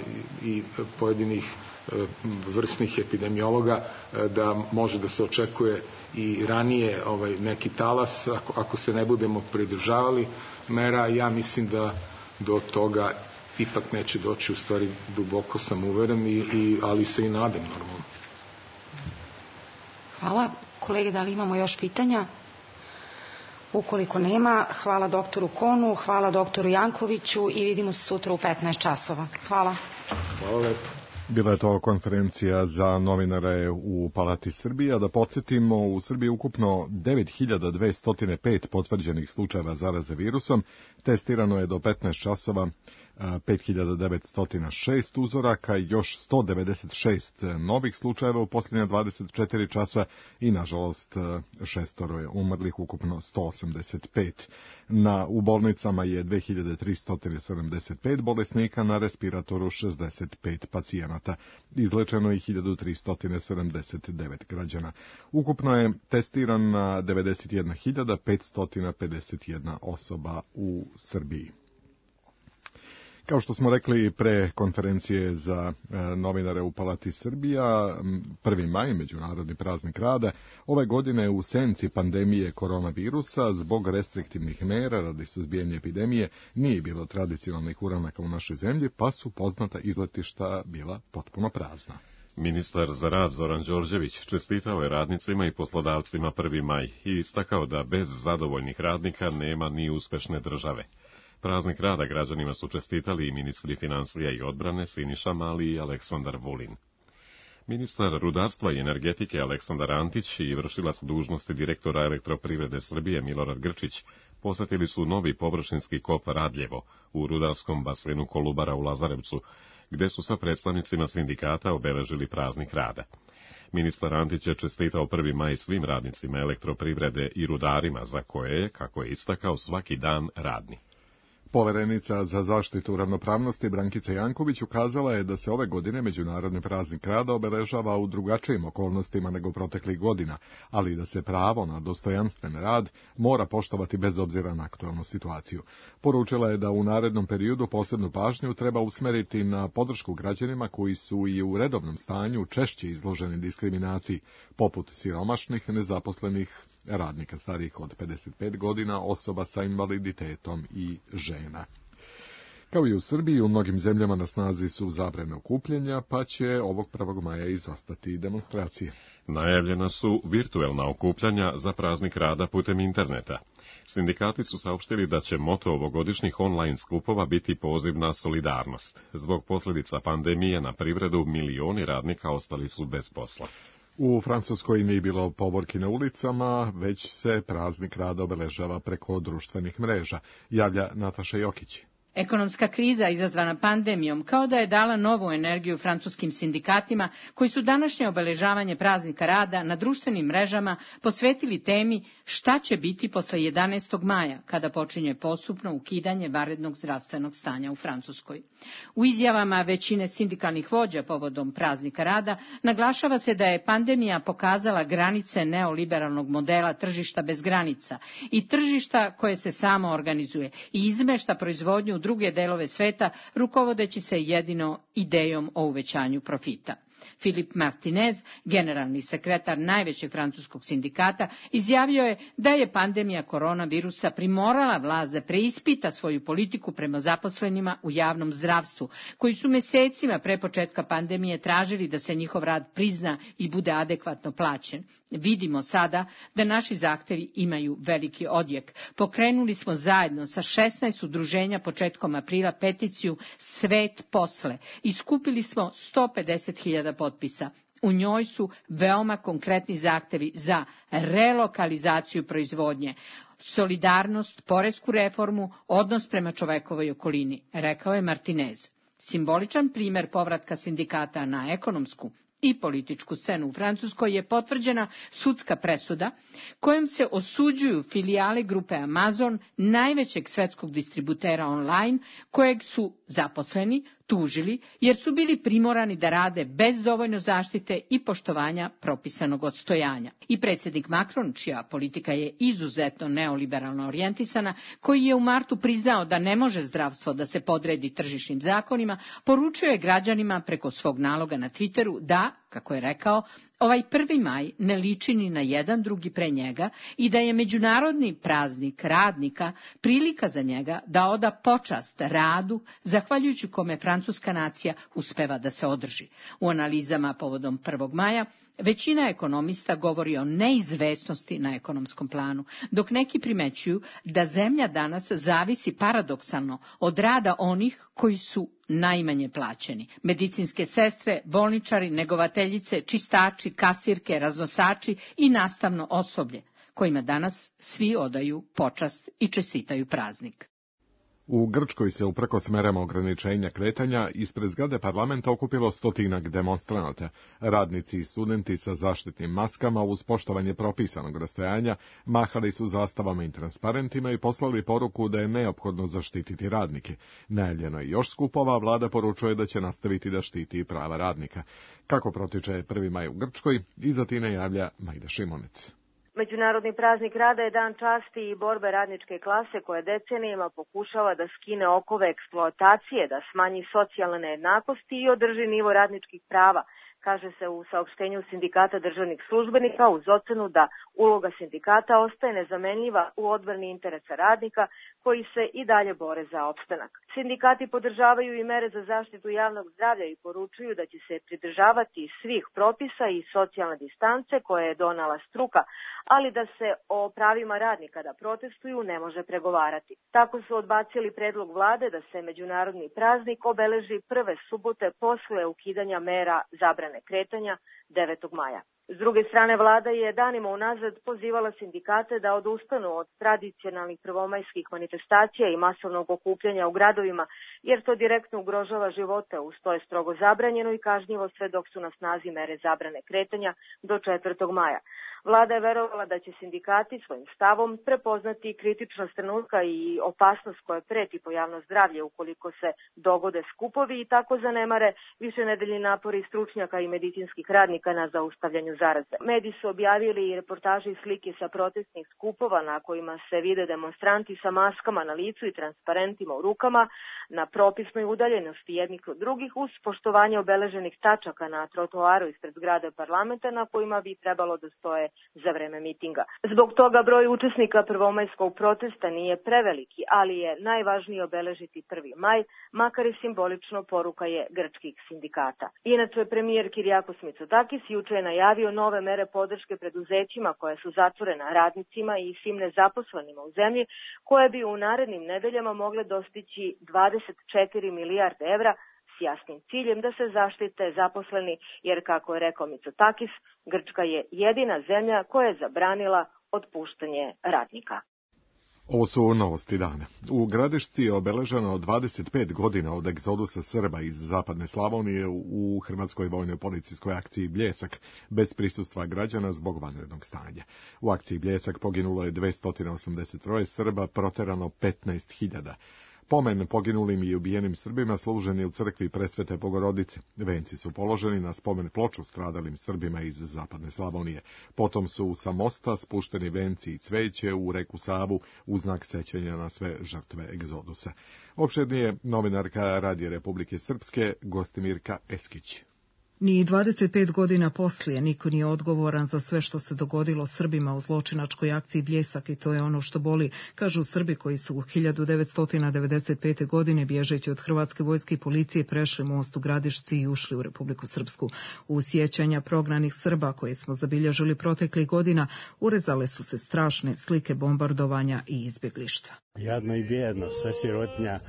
i, i pojedinih e, vrstnih epidemiologa e, da može da se očekuje i ranije ovaj, neki talas, ako, ako se ne budemo pridržavali mera, ja mislim da do toga ipak neće doći, u stvari duboko sam uveren, i, i, ali se i nadam normalno. Hvala. Kolege, da li imamo još pitanja? Ukoliko nema, hvala doktoru Konu, hvala doktoru Jankoviću i vidimo se sutra u petnaest časova. Hvala. Hvala lepo. Bila je to konferencija za novinare u Palati Srbije. A da podsjetimo, u Srbiji je ukupno devet hiljada dvesta pet potvrđenih slučajeva zaraze virusom. Testirano je do petnaest časova pet hiljada devetsto šest uzoraka, još sto devedeset šest novih slučajeva u posljednja dvadeset četiri časa i, nažalost, šestoro je umrlih, ukupno sto osamdeset pet. Na, u bolnicama je dve hiljade tristo sedamdeset pet bolesnika, na respiratoru šezdeset pet pacijenata. Izlečeno je hiljadu tristo sedamdeset devet građana. Ukupno je testirana devedeset jedna hiljada petsto pedeset jedna osoba u Srbiji. Kao što smo rekli pre konferencije za e, novinare u Palati Srbija, prvi maj, Međunarodni praznik rada, ove godine u senci pandemije koronavirusa, zbog restriktivnih mera radi suzbijanja epidemije, nije bilo tradicionalnih uranaka u našoj zemlji, pa su poznata izletišta bila potpuno prazna. Ministar za rad Zoran Đorđević čestitao je radnicima i poslodavcima prvi maj i istakao da bez zadovoljnih radnika nema ni uspešne države. Praznik rada građanima su čestitali i ministri financija i odbrane Siniša Mali i Aleksandar Vulin. Ministar rudarstva i energetike Aleksandar Antić i vršilac dužnosti direktora Elektroprivrede Srbije Milorad Grčić posetili su novi površinski kop Radljevo u rudarskom basenu Kolubara u Lazarevcu, gde su sa predstavnicima sindikata obeležili praznik rada. Ministar Antić je čestitao prvi maj svim radnicima elektroprivrede i rudarima, za koje je, kako je istakao, svaki dan radni. Poverenica za zaštitu ravnopravnosti Brankica Janković ukazala je da se ove godine Međunarodni praznik rada obeležava u drugačijim okolnostima nego proteklih godina, ali da se pravo na dostojanstven rad mora poštovati bez obzira na aktualnu situaciju. Poručila je da u narednom periodu posebnu pažnju treba usmeriti na podršku građanima koji su i u redovnom stanju češće izloženi diskriminaciji, poput siromašnih, nezaposlenih, radnika starijih od pedeset pet godina, osoba sa invaliditetom i žena. Kao i u Srbiji, u mnogim zemljama na snazi su zabrane okupljanja, pa će ovog prvog maja izostati demonstracije. Najavljena su virtuelna okupljanja za praznik rada putem interneta. Sindikati su saopštili da će moto ovogodišnjih online skupova biti poziv na solidarnost. Zbog posljedica pandemije na privredu milioni radnika ostali su bez posla. U Francuskoj nije bilo povorki na ulicama, već se praznik rada obeležava preko društvenih mreža, javlja Nataša Jokić. Ekonomska kriza izazvana pandemijom kao da je dala novu energiju francuskim sindikatima koji su današnje obeležavanje praznika rada na društvenim mrežama posvetili temi šta će biti posle jedanaestog maja kada počinje postupno ukidanje vanrednog zdravstvenog stanja u Francuskoj. U izjavama većine sindikalnih vođa povodom praznika rada naglašava se da je pandemija pokazala granice neoliberalnog modela tržišta bez granica i tržišta koje se samo organizuje i izmešta proizvodnju u druge delove sveta, rukovodeći se jedino idejom o uvećanju profita. Filip Martinez, generalni sekretar najvećeg francuskog sindikata, izjavio je da je pandemija koronavirusa primorala vlast da preispita svoju politiku prema zaposlenima u javnom zdravstvu, koji su mesecima pre početka pandemije tražili da se njihov rad prizna i bude adekvatno plaćen. Vidimo sada da naši zahtevi imaju veliki odjek. Pokrenuli smo zajedno sa šesnaest udruženja početkom aprila peticiju Svet posle i skupili smo sto pedeset hiljada potpisa. U njoj su veoma konkretni zahtevi za relokalizaciju proizvodnje, solidarnost, poresku reformu, odnos prema čovekovoj okolini, rekao je Martinez. Simboličan primer povratka sindikata na ekonomsku i političku scenu u Francuskoj je potvrđena sudska presuda kojom se osuđuju filijale grupe Amazon, najvećeg svetskog distributera online, kojeg su zaposleni tužili jer su bili primorani da rade bez dovoljno zaštite i poštovanja propisanog odstojanja. I predsjednik Macron, čija politika je izuzetno neoliberalno orijentisana, koji je u martu priznao da ne može zdravstvo da se podredi tržišnim zakonima, poručio je građanima preko svog naloga na Twitteru da, kako je rekao, ovaj prvi maj ne liči ni na jedan drugi pre njega i da je međunarodni praznik radnika prilika za njega da oda počast radu, zahvaljujući kome francuska nacija uspeva da se održi. U analizama povodom prvog maja većina ekonomista govori o neizvesnosti na ekonomskom planu, dok neki primećuju da zemlja danas zavisi paradoksalno od rada onih koji su najmanje plaćeni. Medicinske sestre, bolničari, negovateljice, čistači, kasirke, raznosači i nastavno osoblje, kojima danas svi odaju počast i čestitaju praznik. U Grčkoj se uprkos merama ograničenja kretanja ispred zgrade parlamenta okupilo stotinak demonstranata. Radnici i studenti sa zaštitnim maskama uz poštovanje propisanog rastojanja mahali su zastavama i transparentima i poslali poruku da je neophodno zaštititi radnike. Najavljeno je još skupova, vlada poručuje da će nastaviti da štiti prava radnika. Kako protiče prvi maj u Grčkoj, iza Tine javlja Majda Šimonec. Međunarodni praznik rada je dan časti i borbe radničke klase koja decenijama pokušava da skine okove eksploatacije, da smanji socijalne nejednakosti i održi nivo radničkih prava, kaže se u saopštenju Sindikata državnih službenika uz ocenu da uloga sindikata ostaje nezamenljiva u odbrani interesa radnika koji se i dalje bore za opstanak. Sindikati podržavaju i mere za zaštitu javnog zdravlja i poručuju da će se pridržavati svih propisa i socijalne distance koje je donala struka, ali da se o pravima radnika da protestuju ne može pregovarati. Tako su odbacili predlog vlade da se međunarodni praznik obeleži prve subote posle ukidanja mera zabrane kretanja devetog maja. S druge strane, vlada je danima unazad pozivala sindikate da odustanu od tradicionalnih prvomajskih manifestacija i masovnog okupljanja u gradovima, jer to direktno ugrožava živote, uz to je strogo zabranjeno i kažnjivo sve dok su na snazi mere zabrane kretanja do četvrtog maja. Vlada je verovala da će sindikati svojim stavom prepoznati kritičnost trenutka i opasnost koja preti po javno zdravlje ukoliko se dogode skupovi i tako zanemare višenedeljni napori stručnjaka i medicinskih radnika na zaustavljanju zaraze. Mediji su objavili i reportaže i slike sa protestnih skupova na kojima se vide demonstranti sa maskama na licu i transparentima u rukama na propisnoj udaljenosti jednih od drugih uz poštovanje obeleženih tačaka na trotoaru ispred zgrade parlamenta na kojima bi trebalo da stoje za vreme mitinga. Zbog toga broj učesnika prvomajskog protesta nije preveliki, ali je najvažnije obeležiti prvi maj, makar i simbolično, poruka je grčkih sindikata. Inače, premijer Kyriakos Mitsotakis juče je najavio nove mere podrške preduzećima koje su zatvorena, radnicima i svim nezaposlenima u zemlji, koje bi u narednim nedeljama mogle dostići dvadeset četiri milijarde evra, s jasnim ciljem da se zaštite zaposleni, jer, kako je rekao Mitsotakis, Grčka je jedina zemlja koja je zabranila otpuštanje radnika. Ovo su novosti dana. U Gradišci je obeleženo dvadeset pet godina od egzodusa Srba iz zapadne Slavonije u Hrvatskoj vojnoj policijskoj akciji Bljesak, bez prisustva građana zbog vanrednog stanja. U akciji Bljesak poginulo je dvesta osamdeset tri Srba, proterano petnaest hiljada. Pomen poginulim i ubijenim Srbima služen je u crkvi Presvete Bogorodice. Venci su položeni na spomen ploču stradalim Srbima iz zapadne Slavonije. Potom su sa mosta spušteni venci i cveće u reku Savu u znak sećanja na sve žrtve egzodusa. Opširnije novinarka Radija Republike Srpske Gostimirka Eskić. Ni dvadeset pet godina poslije niko nije odgovoran za sve što se dogodilo Srbima u zločinačkoj akciji Bljesak i to je ono što boli, kažu Srbi koji su u hiljadu devetsto devedeset pete. godine bježeći od Hrvatske vojske i policije prešli most u Gradišci i ušli u Republiku Srpsku. U sjećanja prognanih Srba koje smo zabilježili proteklih godina urezale su se strašne slike bombardovanja i izbjeglištva. Jadno i bijedno, sve sirotinja,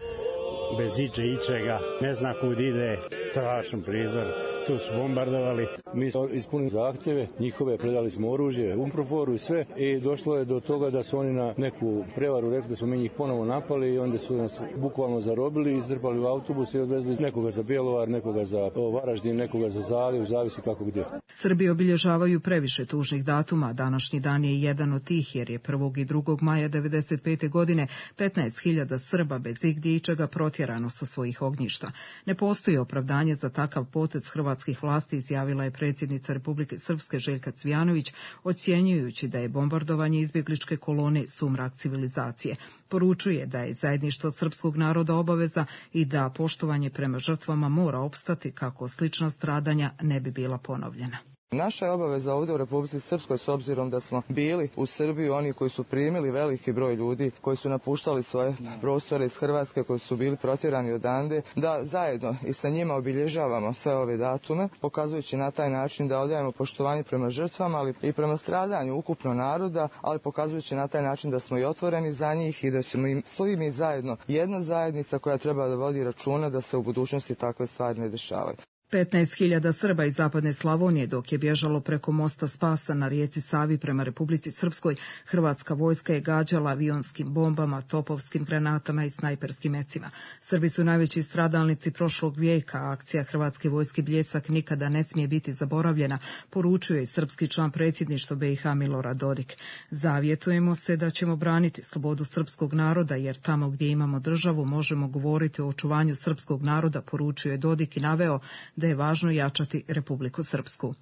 bez iče ičega, ne zna kud ide, strašan prizor. Tu su bombardovali. Mi smo ispunili zahtjeve, njihove, predali smo oružje, umproforu i sve i došlo je do toga da su oni na neku prevaru rekli da smo mi njih ponovo napali i onda su nas bukvalno zarobili, izrpali u autobus i odvezli nekoga za Bjelovar, nekoga za Varaždin, nekoga za Zaljev, zavisi kako gdje. Srbi obilježavaju previše tužnih datuma, današnji dan je jedan od tih jer je prvog i drugog maja devedeset pete. godine petnaest hiljada Srba bez igdje ičega protjerano sa svojih ognjišta. Ne postoji opravdanje za takav potez hrvatskih vlasti, izjavila je predsjednica Republike Srpske Željka Cvijanović, ocjenjujući da je bombardovanje izbjegličke kolone sumrak civilizacije. Poručuje da je zajedništvo srpskog naroda obaveza i da poštovanje prema žrtvama mora opstati kako slična stradanja ne bi bila ponovljena. Naša je obaveza ovdje u Republici Srpskoj, s obzirom da smo bili u Srbiji oni koji su primili veliki broj ljudi, koji su napuštali svoje prostore iz Hrvatske, koji su bili protjerani odande, da zajedno i sa njima obilježavamo sve ove datume, pokazujući na taj način da odajemo poštovanje prema žrtvama, ali i prema stradanju ukupno naroda, ali pokazujući na taj način da smo i otvoreni za njih i da ćemo im svi mi zajedno jedna zajednica koja treba da vodi računa da se u budućnosti takve stvari ne dešavaju. petnaest hiljada Srba iz zapadne Slavonije dok je bježalo preko mosta Spasa na rijeci Savi prema Republici Srpskoj, hrvatska vojska je gađala avionskim bombama, topovskim granatama i snajperskim mecima. Srbi su najveći stradalnici prošlog vijeka, a akcija hrvatske vojske Bljesak nikada ne smije biti zaboravljena, poručuje i srpski član predsjedništva B i H Milorad Dodik. Zavjetujemo se da ćemo braniti slobodu srpskog naroda, jer tamo gdje imamo državu možemo govoriti o očuvanju srpskog naroda, poručuje Dodik i naveo da je važno jačati Republiku Srpsku.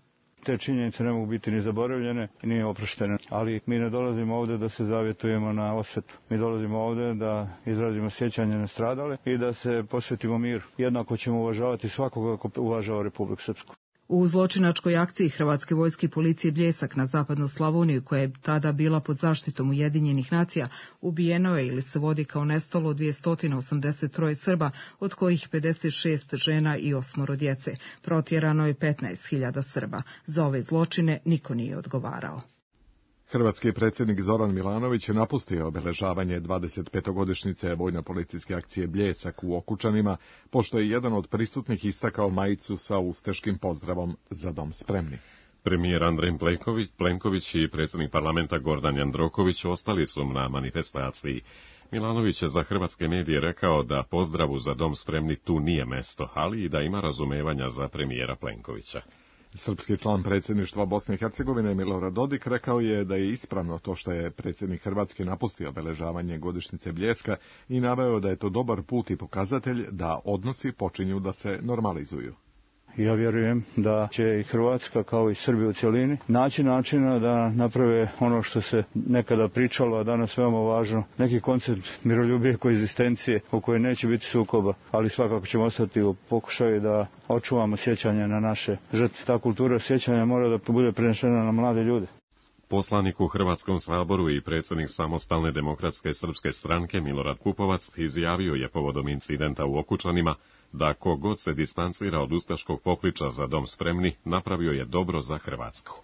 Te činjenice ne mogu biti ni zaboravljene, ni oproštene, ali mi ne dolazimo ovdje da se zavjetujemo na osvetu. Mi dolazimo ovdje da izrazimo sjećanje na stradale i da se posvetimo miru. Jednako ćemo uvažavati svakoga ko uvažava Republiku Srpsku. U zločinačkoj akciji Hrvatske vojske i policije Bljesak na zapadnu Slavoniju, koja je tada bila pod zaštitom Ujedinjenih nacija, ubijeno je ili se vodi kao nestalo dvjesto osamdeset tri Srba, od kojih pedeset šest žena i osmoro djece. Protjerano je petnaest hiljada Srba. Za ove zločine niko nije odgovarao. Hrvatski predsjednik Zoran Milanović je napustio obeležavanje dvadesetpetogodišnjice vojno-policijske akcije Bljesak u Okučanima, pošto je jedan od prisutnih istakao majicu sa ustaškim pozdravom "Za dom spremni". Premijer Andrej Plenković, Plenković i predsjednik parlamenta Gordan Jandroković ostali su na manifestaciji. Milanović je za hrvatske medije rekao da pozdravu "Za dom spremni" tu nije mesto, ali i da ima razumevanja za premijera Plenkovića. Srpski član predsjedništva Bosne i Hercegovine Milorad Dodik rekao je da je ispravno to što je predsjednik Hrvatske napustio obeležavanje godišnjice Bljeska i naveo da je to dobar put i pokazatelj da odnosi počinju da se normalizuju. Ja vjerujem da će i Hrvatska, kao i Srbija u cjelini, naći načina da naprave ono što se nekada pričalo, a danas veoma važno, neki koncept miroljubije koegzistencije u kojoj neće biti sukoba, ali svakako ćemo ostati u pokušaju da očuvamo sjećanje na naše žrtve. Ta kultura sjećanja mora da bude prenešena na mlade ljude. Poslanik u Hrvatskom saboru i predsjednik Samostalne demokratske srpske stranke Milorad Pupovac izjavio je povodom incidenta u Okučanima da kogod se distancira od ustaškog pokliča "Za dom spremni" napravio je dobro za Hrvatsku.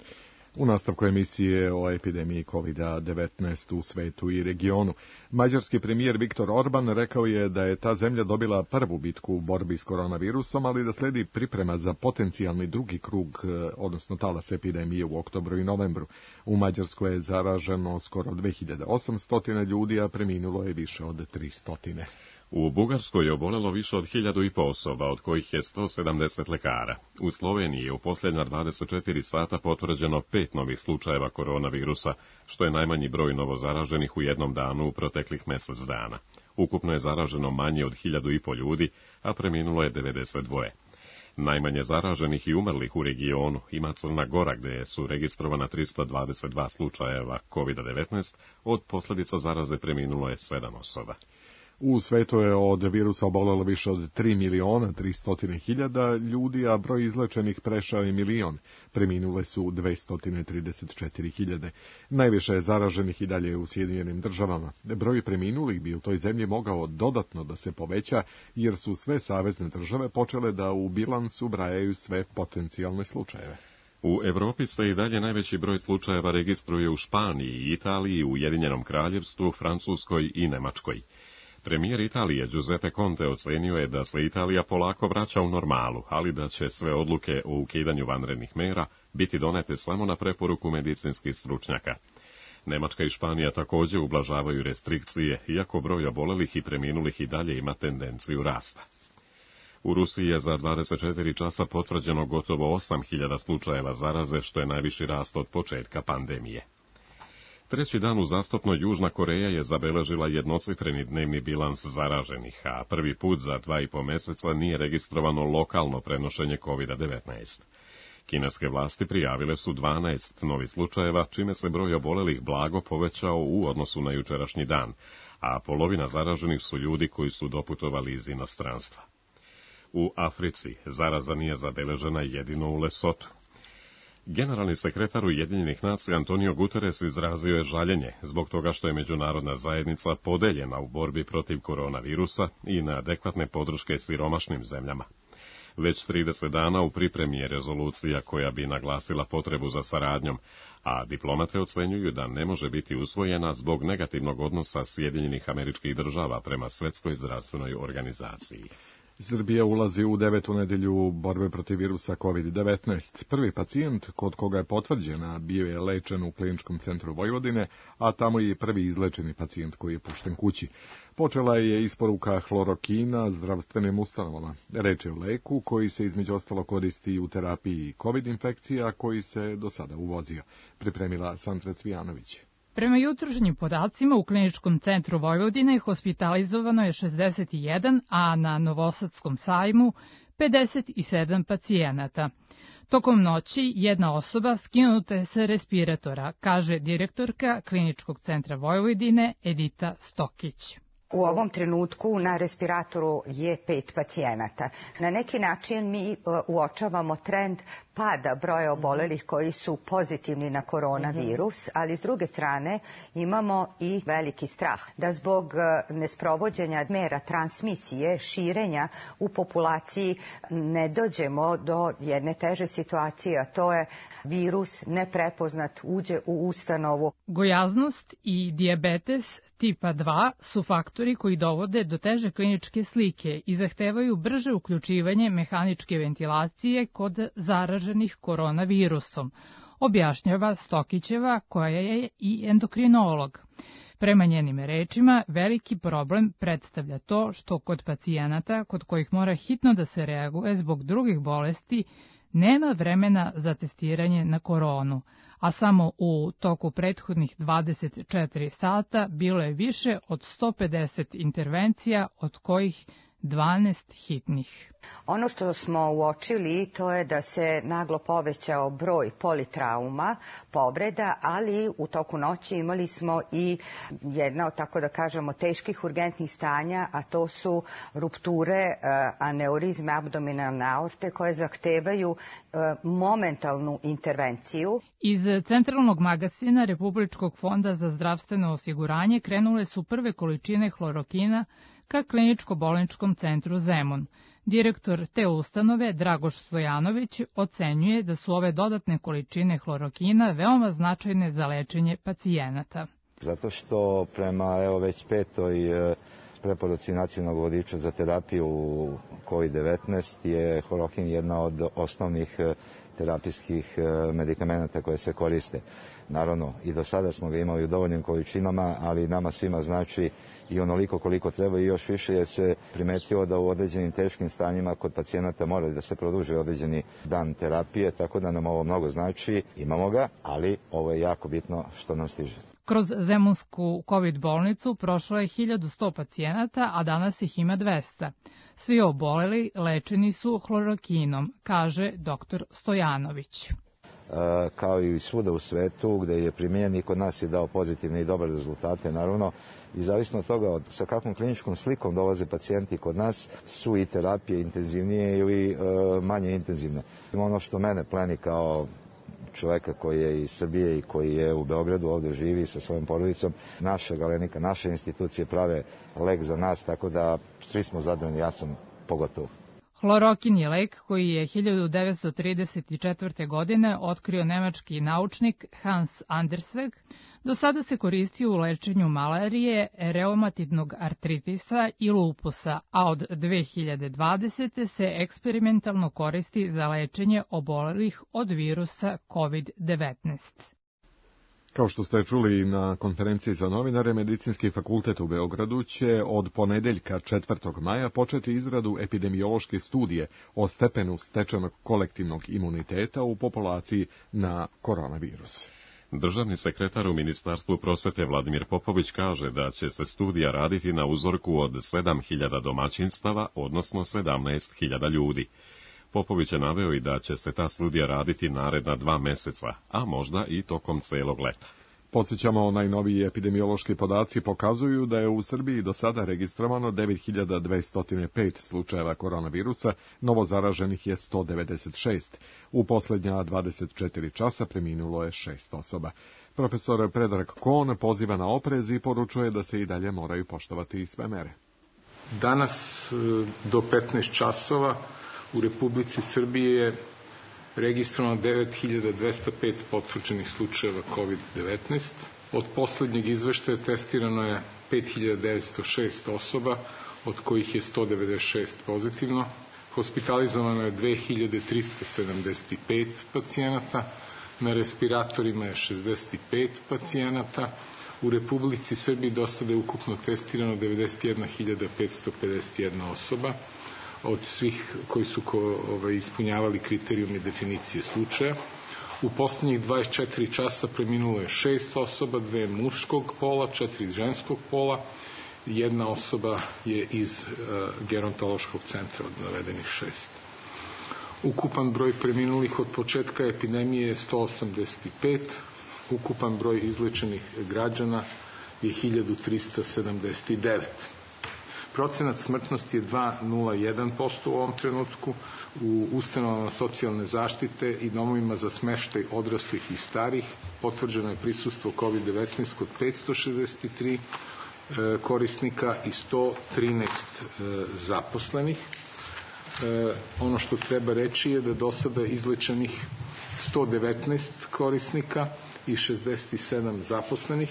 U nastavku emisije o epidemiji kovid devetnaest u svetu i regionu, mađarski premijer Viktor Orban rekao je da je ta zemlja dobila prvu bitku u borbi s koronavirusom, ali da slijedi priprema za potencijalni drugi krug, odnosno talas epidemije u oktobru i novembru. U Mađarskoj je zaraženo skoro dve hiljade osamsto ljudi, a preminulo je više od tristo. U Bugarskoj je obolelo više od hiljadu i po osoba, od kojih je sto sedamdeset lekara. U Sloveniji je u posljednja dvadeset četiri sata potvrđeno pet novih slučajeva koronavirusa, što je najmanji broj novozaraženih u jednom danu u proteklih mjesec dana. Ukupno je zaraženo manje od hiljadu i po ljudi, a preminulo je devedeset dva. Najmanje zaraženih i umrlih u regionu ima Crna Gora, gdje su registrovana tristo dvadeset dva slučajeva kovid devetnaest, od posljedica zaraze preminulo je sedam osoba. U svetu je od virusa obolelo više od tri miliona tristo hiljada ljudi, a broj izlečenih prešao je milion. Preminule su dvjesto trideset četiri hiljade. Najviše je zaraženih i dalje u Sjedinjenim državama. Broj preminulih bi u toj zemlji mogao dodatno da se poveća, jer su sve savezne države počele da u bilans ubrajaju sve potencijalne slučajeve. U Europi se i dalje najveći broj slučajeva registruje u Španiji, Italiji, Ujedinjenom Kraljevstvu, Francuskoj i Nemačkoj. Premijer Italije Giuseppe Conte ocenio je da se Italija polako vraća u normalu, ali da će sve odluke o ukidanju vanrednih mera biti donete samo na preporuku medicinskih stručnjaka. Nemačka i Španija također ublažavaju restrikcije, iako broj obolelih i preminulih i dalje ima tendenciju rasta. U Rusiji je za dvadeset četiri časa potvrđeno gotovo osam hiljada slučajeva zaraze, što je najviši rast od početka pandemije. Treći dan uzastopno Južna Koreja je zabeležila jednocifreni dnevni bilans zaraženih, a prvi put za dva i po mjeseca nije registrovano lokalno prenošenje kovid devetnaest. Kineske vlasti prijavile su dvanaest novih slučajeva, čime se broj obolelih blago povećao u odnosu na jučerašnji dan, a polovina zaraženih su ljudi koji su doputovali iz inostranstva. U Africi zaraza nije zabeležena jedino u Lesotu. Generalni sekretar Ujedinjenih nacija Antonio Guterres izrazio je žaljenje zbog toga što je međunarodna zajednica podeljena u borbi protiv koronavirusa i na adekvatne podrške siromašnim zemljama. Već trideset dana u pripremi je rezolucija koja bi naglasila potrebu za saradnjom, a diplomate ocenjuju da ne može biti usvojena zbog negativnog odnosa Sjedinjenih Američkih Država prema Svjetskoj zdravstvenoj organizaciji. Srbija ulazi u devetu nedjelju borbe protiv virusa kovid devetnaest. Prvi pacijent kod koga je potvrđena bio je lečen u Kliničkom centru Vojvodine, a tamo je prvi izlečeni pacijent koji je pušten kući. Počela je isporuka hlorokina zdravstvenim ustanovama. Reč je o leku koji se između ostalo koristi u terapiji kovid infekcija, koji se do sada uvozio. Pripremila Sandra Cvijanović. Prema jutrošnjim podacima u Kliničkom centru Vojvodine hospitalizovano je šezdeset jedan, a na Novosadskom sajmu pedeset sedam pacijenata. Tokom noći jedna osoba skinuta je sa respiratora, kaže direktorka Kliničkog centra Vojvodine Edita Stokić. U ovom trenutku na respiratoru je pet pacijenata. Na neki način mi uočavamo trend pada broja obolelih koji su pozitivni na koronavirus, ali s druge strane imamo i veliki strah da zbog nesprovođenja mera transmisije, širenja u populaciji ne dođemo do jedne teže situacije, a to je virus neprepoznat uđe u ustanovu. Gojaznost i dijabetes tipa dva su faktori koji dovode do teže kliničke slike i zahtevaju brže uključivanje mehaničke ventilacije kod zaraženih koronavirusom, objašnjava Stokićeva koja je i endokrinolog. Prema njenim rečima, veliki problem predstavlja to što kod pacijenata kod kojih mora hitno da se reaguje zbog drugih bolesti nema vremena za testiranje na koronu, a samo u toku prethodnih dvadeset četiri sata bilo je više od sto pedeset intervencija, od kojih dvanaest hitnih. Ono što smo uočili to je da se naglo povećao broj politrauma, povreda, ali u toku noći imali smo i jedna od, tako da kažemo, teških urgentnih stanja, a to su rupture aneurizme abdominalne aorte koje zahtevaju momentalnu intervenciju. Iz Centralnog magazina Republičkog fonda za zdravstveno osiguranje krenule su prve količine hlorokina ka kliničko-bolničkom centru Zemun. Direktor te ustanove, Dragoš Stojanović, ocenjuje da su ove dodatne količine hlorokina veoma značajne za lečenje pacijenata. Zato što prema evo već petoj preporuci nacionalnog vodiča za terapiju kovid devetnaest je hlorokin jedna od osnovnih terapijskih medikamenata koje se koriste. Naravno, i do sada smo ga imali u dovoljnim količinama, ali nama svima znači i onoliko koliko treba i još više, jer se primetilo da u određenim teškim stanjima kod pacijenata mora da se produži određeni dan terapije, tako da nam ovo mnogo znači. Imamo ga, ali ovo je jako bitno što nam stiže. Kroz Zemunsku COVID bolnicu prošlo je hiljadu sto pacijenata, a danas ih ima dvesta. Svi oboleli lečeni su hlorokinom, kaže doktor Stojanović. Kao i svuda u svetu gde je primijenjen i kod nas je dao pozitivne i dobre rezultate, naravno, i zavisno od toga od sa kakvom kliničkom slikom dolaze pacijenti kod nas su i terapije intenzivnije ili e, manje intenzivne. Ono što mene pleni kao čoveka koji je iz Srbije i koji je u Beogradu, ovde živi sa svojom porodicom, naša Galenika, naše institucije prave lek za nas, tako da svi smo zadovoljni, ja sam pogotovo. Hlorokin je lek koji je hiljadu devetsto trideset četvrte. godine otkrio nemački naučnik Hans Anderseg. Do sada se koristio u lečenju malarije, reumatidnog artritisa i lupusa, a od dve hiljade dvadesete. se eksperimentalno koristi za lečenje obolelih od virusa kovid devetnaest. Kao što ste čuli na konferenciji za novinare, Medicinski fakultet u Beogradu će od ponedeljka četvrtog maja početi izradu epidemiološke studije o stepenu stečenog kolektivnog imuniteta u populaciji na koronavirus. Državni sekretar u Ministarstvu prosvete Vladimir Popović kaže da će se studija raditi na uzorku od sedam hiljada domaćinstava, odnosno sedamnaest hiljada ljudi. Popović je naveo i da će se ta studija raditi naredna dva meseca, a možda i tokom celog leta. Podsjećamo, najnoviji epidemiološki podaci pokazuju da je u Srbiji do sada registrovano devet hiljada dvesta pet slučajeva koronavirusa, novo zaraženih je sto devedeset šest. U posljednja dvadeset četiri časa preminulo je šest osoba. Profesor Predrag Kon poziva na oprez i poručuje da se i dalje moraju poštovati sve mere. Danas do petnaest časova u Republici Srbiji je registrovano devet hiljada dvesta pet potvrđenih slučajeva kovid devetnaest. Od poslednjeg izveštaja testirano je pet hiljada devetsto šest osoba, od kojih je sto devedeset šest pozitivno. Hospitalizovano je dve hiljade trista sedamdeset pet pacijenata, na respiratorima je šezdeset pet pacijenata. U Republici Srbiji do sada je ukupno testirano devedeset jedna hiljada petsto pedeset jedna osoba, od svih koji su ko, ovaj, ispunjavali kriterijum i definicije slučaja. U poslednjih dvadeset četiri časa preminulo je šest osoba, dve muškog pola, četiri ženskog pola, jedna osoba je iz uh, gerontološkog centra od navedenih šest. Ukupan broj preminulih od početka epidemije je sto osamdeset pet, ukupan broj izlečenih građana je hiljadu trista sedamdeset devet. Procenat smrtnosti je dva zarez nula jedan posto u ovom trenutku. U ustanovama socijalne zaštite i domovima za smeštaj odraslih i starih potvrđeno je prisustvo kovid devetnaest kod petsto šezdeset tri korisnika i sto trinaest zaposlenih. Ono što treba reći je da do sada izlečenih sto devetnaest korisnika i šezdeset sedam zaposlenih.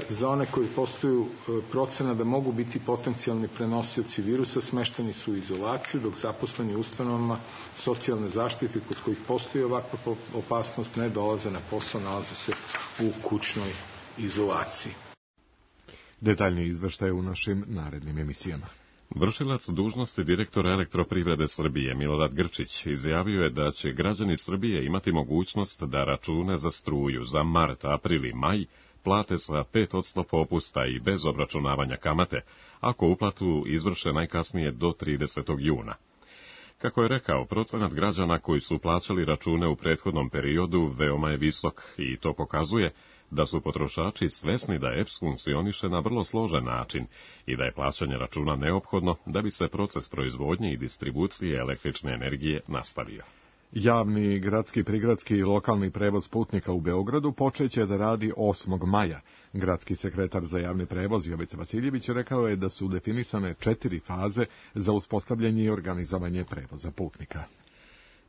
Za one koji postoju procena da mogu biti potencijalni prenosioci virusa, smešteni su u izolaciju, dok zaposleni u ustanovama socijalne zaštite kod kojih postoji ovakva opasnost ne dolaze na posao, nalaze se u kućnoj izolaciji. Detaljniji izveštaj u našim narednim emisijama. Vršilac dužnosti direktora Elektroprivrede Srbije Milorad Grčić izjavio je da će građani Srbije imati mogućnost da račune za struju za mart, april i maj plate sa pet posto popusta i bez obračunavanja kamate, ako uplatu izvrše najkasnije do tridesetog juna. Kako je rekao, procenat građana koji su plaćali račune u prethodnom periodu veoma je visok i to pokazuje da su potrošači svesni da E P S funkcioniše na vrlo složen način i da je plaćanje računa neophodno da bi se proces proizvodnje i distribucije električne energije nastavio. Javni, gradski, prigradski i lokalni prevoz putnika u Beogradu počeće da radi osmog maja. Gradski sekretar za javni prevoz Jovica Vasiljević rekao je da su definisane četiri faze za uspostavljanje i organizovanje prevoza putnika.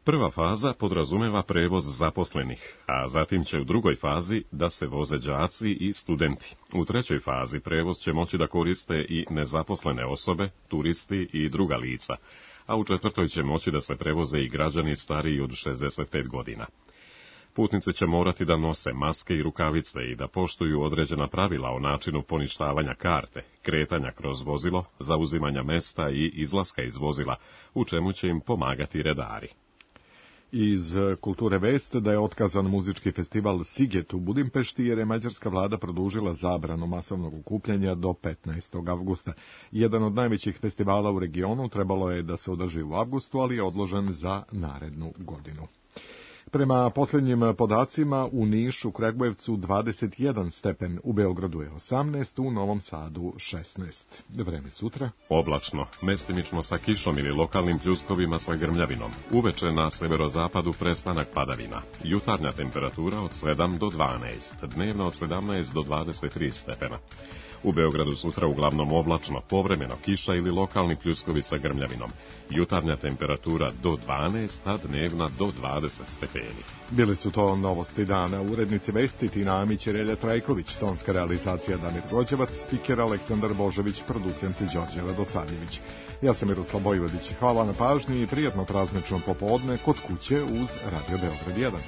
Prva faza podrazumeva prevoz zaposlenih, a zatim će u drugoj fazi da se voze đaci i studenti. U trećoj fazi prevoz će moći da koriste i nezaposlene osobe, turisti i druga lica, a u četvrtoj će moći da se prevoze i građani stariji od šezdeset pet godina. Putnici će morati da nose maske i rukavice i da poštuju određena pravila o načinu poništavanja karte, kretanja kroz vozilo, zauzimanja mesta i izlaska iz vozila, u čemu će im pomagati redari. Iz kulture vest da je otkazan muzički festival Siget u Budimpešti jer je mađarska vlada produžila zabranu masovnog okupljanja do petnaestog avgusta. Jedan od najvećih festivala u regionu trebalo je da se održi u avgustu, ali je odložen za narednu godinu. Prema posljednjim podacima u Nišu, Kragujevcu dvadeset jedan stepen, u Beogradu je osamnaest, u Novom Sadu šesnaest. Vreme sutra. Oblačno, mestimično sa kišom ili lokalnim pljuskovima sa grmljavinom. Uveče na severozapadu prestanak padavina. Jutarnja temperatura od sedam do dvanaest, dnevno od sedamnaest do dvadeset tri stepena. U Beogradu sutra uglavnom oblačno, povremeno kiša ili lokalni pljuskovi sa grmljavinom. Jutarnja temperatura do dvanaest, a dnevna do dvadeset stepeni. Bili su to novosti dana. Urednici vesti Tina Amić i Relja Trajković, tonska realizacija Damir Gođevac, spiker Aleksandar Božović, producent Đorđe Radosavljević. Ja sam Miroslav Bojvodić. Hvala na pažnji i prijatno praznično popodne kod kuće uz Radio Beograd jedan.